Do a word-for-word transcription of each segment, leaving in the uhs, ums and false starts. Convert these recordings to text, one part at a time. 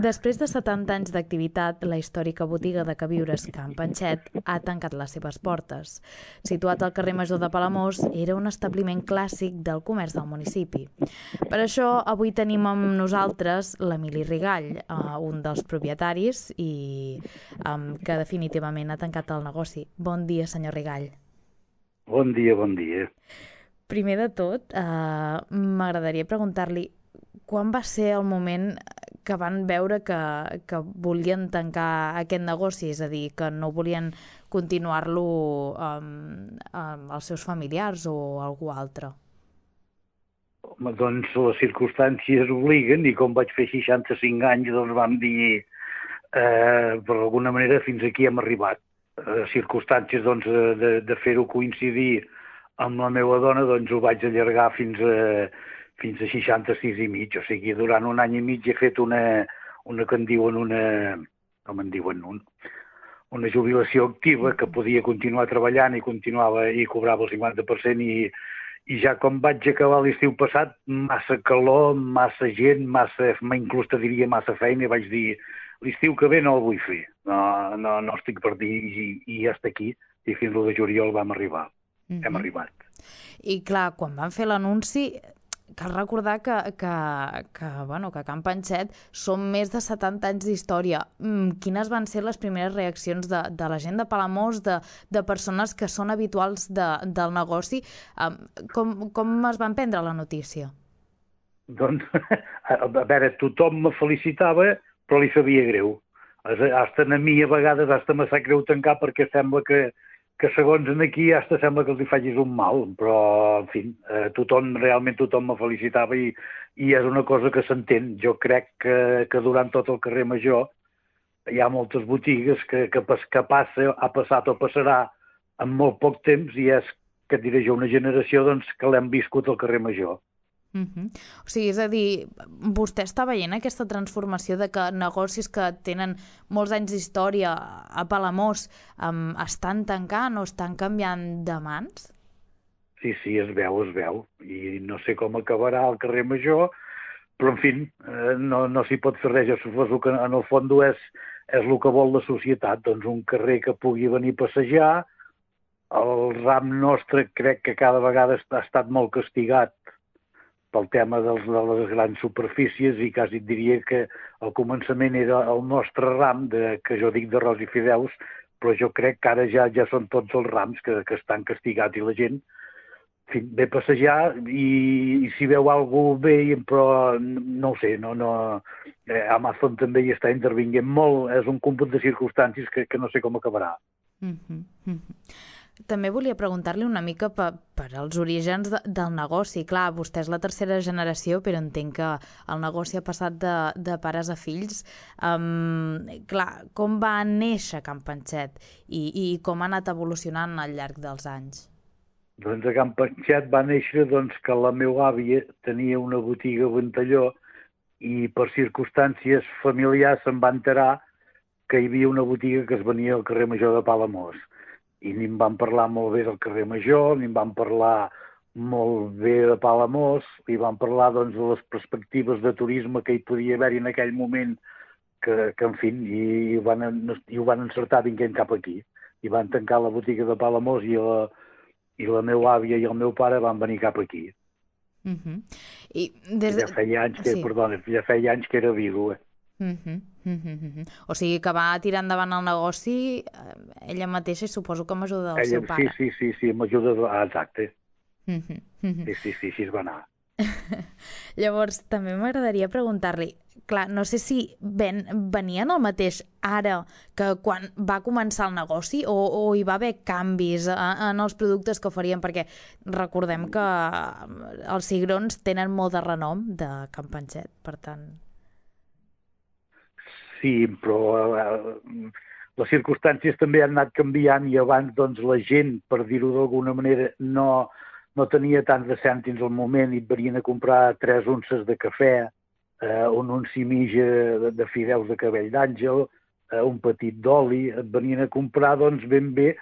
Després de setanta anys d'activitat, la històrica botiga de queviures Can Panxet ha tancat les seves portes. Situat al carrer Major de Palamós, era un establiment clàssic del comerç del municipi. Per això, avui tenim amb nosaltres l'Emili Rigall, un dels propietaris i que definitivament ha tancat el negoci. Bon dia, senyor Rigall. Bon dia, bon dia. Primer de tot, eh, m'agradaria preguntar-li quan va ser el moment que van veure que, que volien tancar aquest negoci, és a dir, que no volien continuar-lo amb, amb els seus familiars o algú altre? Home, doncs les circumstàncies obliguen i com vaig fer seixanta-cinc anys doncs vam dir eh, per alguna manera fins aquí hem arribat. Eh, circumstàncies doncs de, de fer-ho coincidir amb la meva dona doncs ho vaig allargar fins a fins a seixanta-sis i mig, o sigui, durant un any i mig he fet una, una que en diuen una, com en diuen, un, una jubilació activa que podia continuar treballant i continuava i cobrava el cinquanta per cent i, i ja com vaig acabar l'estiu passat, massa calor, massa gent, massa, inclús te diria massa feina, i vaig dir, l'estiu que ve no el vull fer, no, no, no estic per dir i, i ja està aquí, i fins l'u de juliol vam arribar, mm-hmm. hem arribat. I clar, quan van fer l'anunci, cal recordar que, que, que, bueno, que Can Panxet són més de setanta anys d'història. Quines van ser les primeres reaccions de, de la gent de Palamós, de, de persones que són habituals de, del negoci? Com, com es van prendre la notícia? Doncs, a veure, tothom me felicitava, però li sabia greu. Hasta a mi a vegades hasta me sap greu tancar perquè sembla que que segons en aquí hasta sembla que els hi facis un mal, però, en fi, eh, tothom, realment tothom me felicitava i, i és una cosa que s'entén. Jo crec que, que durant tot el carrer Major hi ha moltes botigues que, que, que passa, ha passat o passarà en molt poc temps i és, que et diré jo, una generació doncs, que l'hem viscut al carrer Major. Uh-huh. O sigui, és a dir, vostè està veient aquesta transformació de que negocis que tenen molts anys d'història a Palamós um, estan tancant o estan canviant de mans? Sí, sí, es veu, es veu. I no sé com acabarà el carrer Major, però, en fi, eh, no, no s'hi pot fer res. Jo suposo que, en el fons, és, és el que vol la societat. Doncs un carrer que pugui venir a passejar. El ram nostre crec que cada vegada ha estat molt castigat pel tema dels, de les grans superfícies i quasi et diria que al començament era el nostre ram, de, que jo dic d'arròs i fideus, però jo crec que ara ja ja són tots els rams que, que estan castigats i la gent en fi, ve a passejar i, i si veu alguna cosa bé, però no ho sé, no, no, eh, Amazon també hi està intervinguent molt, és un còmput de circumstàncies que, que no sé com acabarà. Mm-hmm. Mm-hmm. També volia preguntar-li una mica per, per als orígens de, del negoci. Clar, vostè és la tercera generació, però entenc que el negoci ha passat de, de pares a fills. Um, clar, com va néixer Can Panxet i, i com ha anat evolucionant al llarg dels anys? Doncs a Can Panxet va néixer doncs, que la meva àvia tenia una botiga a Ventalló i per circumstàncies familiars se'n va enterar que hi havia una botiga que es venia al carrer Major de Palamós. I ni em van parlar molt bé del carrer Major, ni em van parlar molt bé de Palamós, i van parlar doncs, de les perspectives de turisme que hi podia haver en aquell moment, que, que en fi, i, i, van, i ho van encertar vinguent cap aquí. I van tancar la botiga de Palamós i la, i la meva àvia i el meu pare van venir cap aquí. Uh-huh. I des... ja feia anys que, sí. Perdona, ja feia anys que era vídua. Uh-huh. Uh-huh. O sigui que va tirar endavant el negoci ella mateixa i suposo que amb ajuda del ella, seu pare. Sí, sí, sí, sí amb ajuda de... Ah, exacte. Uh-huh. Uh-huh. Sí, sí, sí, així es va anar. Llavors, també m'agradaria preguntar-li, clar, no sé si ven, venien el mateix ara que quan va començar el negoci o, o hi va haver canvis en, en els productes que oferien, perquè recordem que els cigrons tenen molt de renom de Can Panxet, per tant... Sí, però eh, les circumstàncies també han anat canviant i abans doncs, la gent, per dir-ho d'alguna manera, no, no tenia tants de cèntims al moment i et venien a comprar tres unces de cafè, eh, un unci mitja de, de fideus de cabell d'àngel, eh, un petit d'oli, et venien a comprar doncs, ben bé,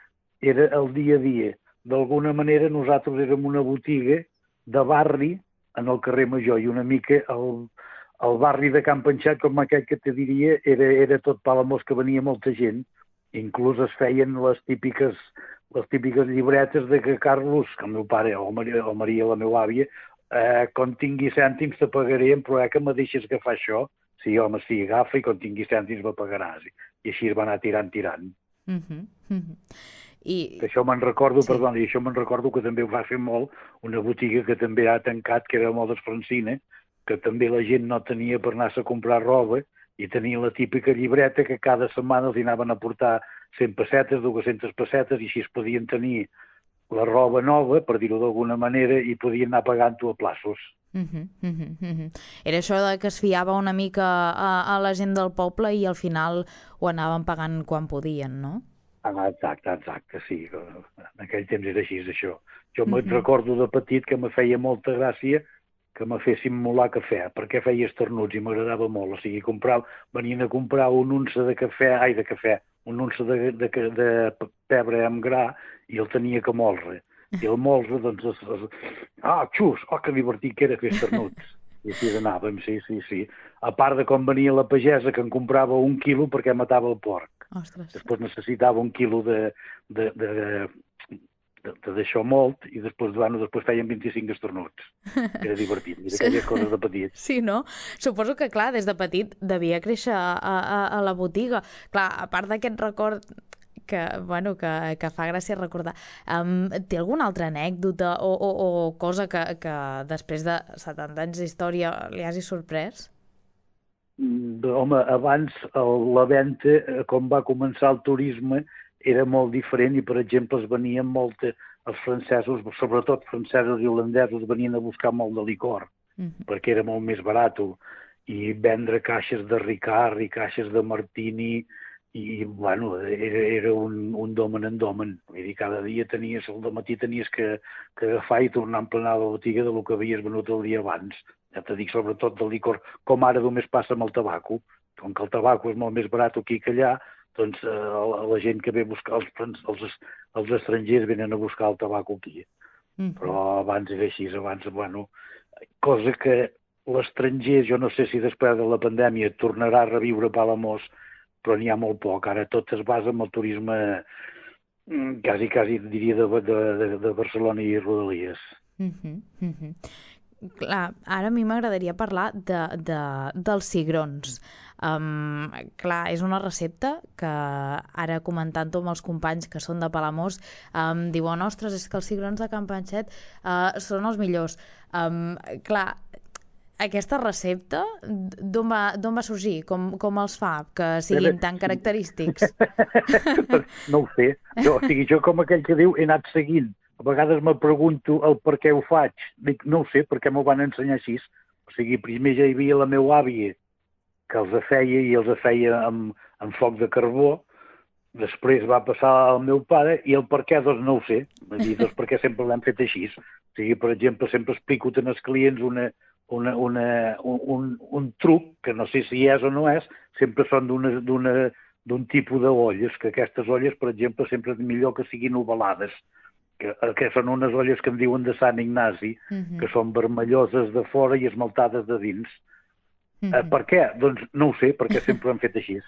era el dia a dia. D'alguna manera nosaltres érem una botiga de barri en el carrer Major i una mica el, el barri de Can Panxat, com aquell que te diria, era, era tot Palamós, que venia molta gent. Inclús es feien les típiques, les típiques llibretes de que Carlos, que el meu pare, o Maria, o Maria la meva àvia, eh, quan tingui cèntims te pagaré, però eh, que me deixes agafar això. Sí, home, sí, agafa, i quan tingui cèntims me pagaràs. I així es va anar tirant, tirant. Uh -huh, uh -huh. I... Això me'n recordo, sí. perdó, i això me'n recordo que també ho va fer molt una botiga que també ha tancat, que era Modes Francina, que també la gent no tenia per anar-se a comprar roba, i tenia la típica llibreta que cada setmana els anaven a portar cent pessetes, dues-centes pessetes, i així es podien tenir la roba nova, per dir-ho d'alguna manera, i podien anar pagant-ho a plaços. Uh -huh, uh -huh, uh -huh. Era això de que es fiava una mica a, a la gent del poble i al final ho anaven pagant quan podien, no? Ah, exacte, exacte, sí. En aquell temps era així, això. Jo me'n Uh-huh. recordo de petit que me feia molta gràcia que me fessin molar cafè, perquè feia esternuts i m'agradava molt. O sigui, comprar, venien a comprar un unça de cafè, ai, de cafè, un unça de, de, de, de pebre amb gra, i el tenia que molre. I el molre, doncs, es, es... ah, xus, oh, que divertit que era fer esternuts. I així anàvem, sí, sí, sí. A part de com venia la pagesa, que en comprava un quilo perquè matava el porc. Ostres. Després necessitava un quilo de, de, de, de d'això molt, i després, bueno, després feien vint-i-cinc estornuts. Era divertit, mira, Sí. aquelles coses de petit. Sí, no? Suposo que, clar, des de petit devia créixer a, a, a la botiga. Clar, a part d'aquest record que, bueno, que, que fa gràcia recordar, um, té alguna altra anècdota o, o, o cosa que, que després de setanta anys d'història li hagi sorprès? Mm, Home, abans el, la venda, eh, com va començar el turisme, era molt diferent, i, per exemple, es venien molt, els francesos, sobretot francesos i holandesos, venien a buscar molt de licor, Mm-hmm. perquè era molt més barat, i vendre caixes de Ricard i caixes de Martini, i, bueno, era, era un, un domen en domen. Vull dir, cada dia tenies, al dematí tenies que, que agafar i tornar a emplenar la botiga del que havies venut el dia abans. Ja te dic, sobretot del licor, com ara només passa amb el tabaco. Com que el tabaco és molt més barat aquí que allà, doncs eh, la, la gent que ve a buscar, els, els, els estrangers venen a buscar el tabaco aquí. Mm-hmm. Però abans era així, abans, bueno, cosa que l'estranger, jo no sé si després de la pandèmia tornarà a reviure Palamós, però n'hi ha molt poc. Ara tot es basa en el turisme, quasi, quasi diria, de, de, de Barcelona i Rodalies. Mm-hmm. Mm-hmm. Clar, ara a mi m'agradaria parlar de, de, dels cigrons. Um, clar, és una recepta que ara, comentant-ho amb els companys que són de Palamós, um, diuen, ostres, és que els cigrons de Can Panxet uh, són els millors. Um, clar, aquesta recepta d'on va, d'on va sorgir? Com, com els fa que siguin tan característics? No ho sé. Jo, o sigui, jo, com aquell que diu, he anat seguint. A vegades me pregunto el per què ho faig. Dic, no ho sé, perquè m'ho van ensenyar així. O sigui, primer ja hi havia la meva àvia, que els feia, i els feia amb, amb foc de carbó. Després va passar al meu pare, i el per què, doncs no ho sé. Vull dir, doncs perquè sempre l'hem fet així. O sigui, per exemple, sempre explico als clients una, una, una, un, un truc, que no sé si és o no és, sempre són d'un tipus d'olles, que aquestes olles, per exemple, sempre és millor que siguin ovalades, que, que són unes olles que en diuen de Sant Ignasi, Mm-hmm. que són vermelloses de fora i esmaltades de dins. Mm-hmm. Eh, per què? Doncs no ho sé, perquè sempre ho han fet així.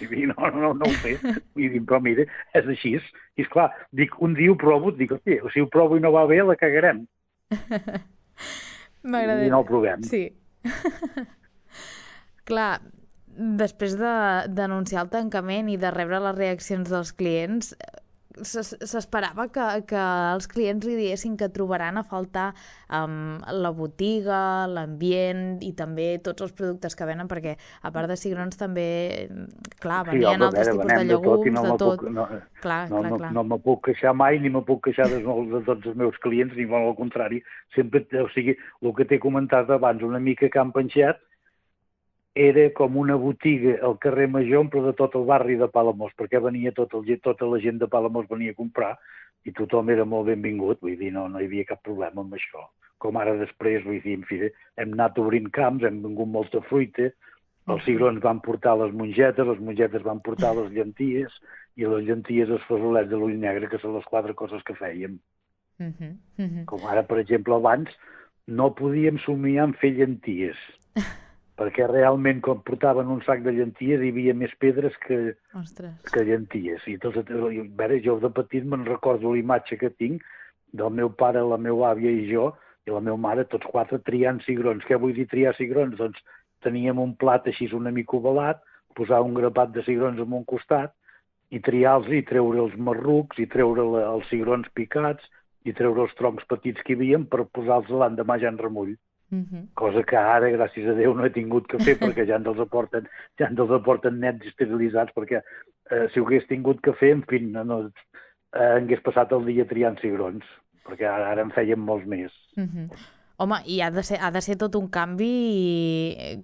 I no, no, no ho sé. I dic, però mira, és així. I esclar, dic, un dia ho provo, dic, hosti, si ho provo i no va bé, la cagarem. I no ho provem. Sí. Clar, després de d'anunciar el tancament i de rebre les reaccions dels clients, s'esperava que, que els clients li diguessin que trobaran a faltar um, la botiga, l'ambient i també tots els productes que venen, perquè a part de cigrons també, clar, venien sí, altres veure, tipus de llegums, de tot. No de tot. Puc, no, clar, no, clar, no, clar. no me puc queixar mai, ni me puc queixar de, de tots els meus clients, ni molt al contrari. Sempre, o sigui, el que t'he comentat abans, una mica Can Panxet, era com una botiga al carrer Major, però de tot el barri de Palamós, perquè venia tot el, tota la gent de Palamós venia a comprar, i tothom era molt benvingut, vull dir, no, no hi havia cap problema amb això. Com ara després, vull dir, en fi, hem anat obrint camps, hem vengut molta fruita, els cigrons van portar les mongetes, les mongetes van portar les llenties, i les llenties els fesolets de l'ull negre, que són les quatre coses que fèiem. Uh-huh, uh-huh. Com ara, per exemple, abans no podíem somiar en fer llenties. perquè realment quan portaven un sac de llenties hi havia més pedres que, Ostres. que llenties. I tots, a veure, jo de petit me'n recordo la imatge que tinc del meu pare, la meva àvia i jo, i la meva mare, tots quatre triant cigrons. Què vull dir triar cigrons? Doncs teníem un plat així una mica ovalat, posar un grapat de cigrons en un costat i triar-los i treure els marrucs i treure la, els cigrons picats i treure els troncs petits que hi havia per posar-los l'endemà ja en remull. Uh-huh. Cosa que ara, gràcies a Déu, no he tingut que fer perquè ja ens els aporten, ja ens els aporten nets esterilitzats, perquè eh, si ho hagués tingut que fer, en fi, no, no, eh, hagués passat el dia triant cigrons, perquè ara, ara en fèiem molts més. Uh-huh. Home, i ha de ser, ha de ser tot un canvi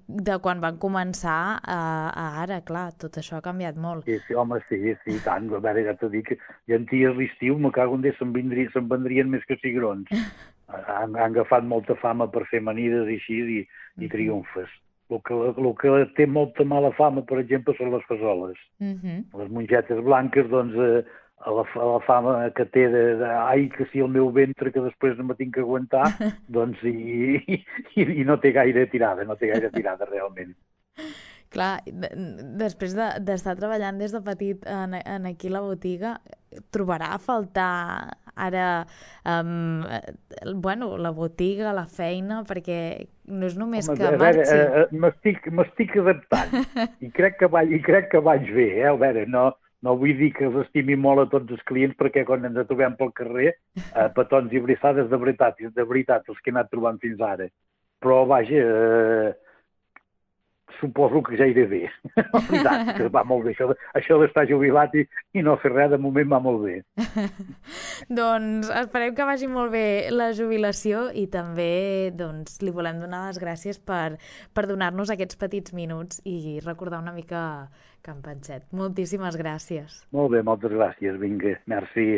de quan van començar a, a ara, clar, tot això ha canviat molt. Sí, sí, home, sí, sí, tant. A veure, ja t'ho dic, llenties l'estiu, me cago en Déu, se'n vindria, se'n vendrien més que cigrons. Han, han agafat molta fama per fer amanides i així, i, i triomfes. El que, el que té molta mala fama, per exemple, són les fesoles. Uh-huh. Les mongetes blanques, doncs, eh, a, la, a la fama que té de, de ai, que si el meu ventre, que després no me tinc que aguantar, doncs, i, i, i no té gaire tirada, no té gaire tirada, realment. Clar, després d'estar de, treballant des de petit en, en aquí la botiga, trobarà a faltar ara um, bueno, la botiga, la feina, perquè no és només Home, que a veure, marxi. eh, m'estic, m'estic adaptant i crec que vaig, i crec que vaig bé, eh? A veure, no, no vull dir que els estimi molt a tots els clients perquè quan ens trobem pel carrer, eh, petons i brissades de veritat, de veritat, els que he anat trobant fins ara. Però, vaja, eh, suposo que ja iré bé. La veritat, que va molt bé. Això, això d'estar jubilat i, i no fer res, de moment va molt bé. Doncs esperem que vagi molt bé la jubilació i també doncs, li volem donar les gràcies per, per donar-nos aquests petits minuts i recordar una mica Can Panxet. Moltíssimes gràcies. Molt bé, moltes gràcies. Vinga, merci.